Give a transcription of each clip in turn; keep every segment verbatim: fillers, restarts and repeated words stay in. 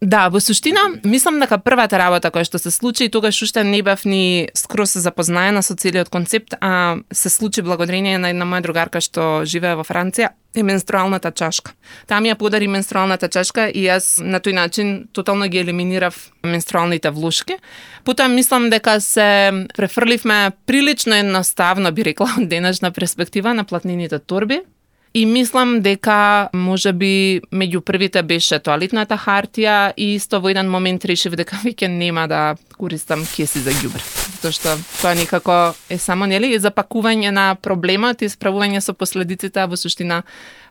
Да, во суштина, мислам дека првата работа која што се случи, тогаш уште не бев ни скроз запознаена со целиот концепт, а се случи благодарение на една моја другарка што живее во Франција, е менструалната чашка. Таа ми ја подари менструалната чашка и јас на тој начин тотално ги елиминирав менструалните влушки. Потоа мислам дека се префрливме прилично едноставно, би рекла, од денешна перспектива на платнените торби. И мислам дека можеби меѓу првите беше тоалетната хартија и исто во еден момент решив дека веќе нема да користам кеси за ѓубре. Затоа што тоа некако е само нели запакување на проблемот и справување со последиците, а во суштина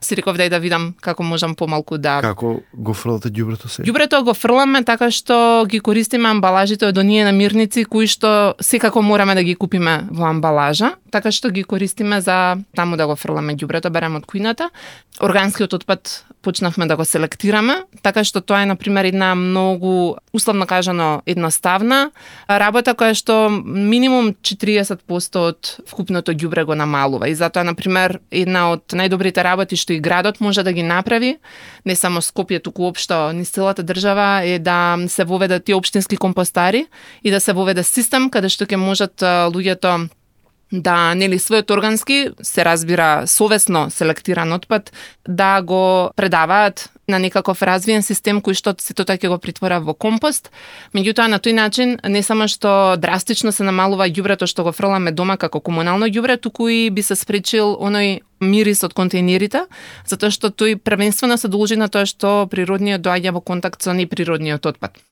си реков дај да видам како можам помалку да... Како го фрлате ѓубрето се? Ѓубрето го фрламе така што ги користиме амбалажите од оние намирници кои што секако мораме да ги купиме во амбалажа, така што ги користиме за таму да го фрламе ѓубрето, береме од кујната. Органскиот отпад почнавме да го селектираме, така што тоа е на пример една многу условно кажано едноставна работа која што минимум четириесет проценти од вкупното ѓубре го намалува и затоа на пример една од најдобрите работи што и градот може да ги направи, не само Скопје, туку општо низ целата држава, е да се воведат тие општински компостари и да се воведе систем каде што ќе можат луѓето да, нели, својот органски, се разбира совесно селектиран отпад, да го предаваат на некаков развиен систем кој што сето тоа ќе го притвора во компост. Меѓутоа на тој начин не само што драстично се намалува ѓубрето што го фрламе дома како комунално ѓубре, туку и би се спречил оној мирис од контейнерите, затоа што тој првенствено се должи на тоа што природниот доаѓа во контакт со неприродниот отпад.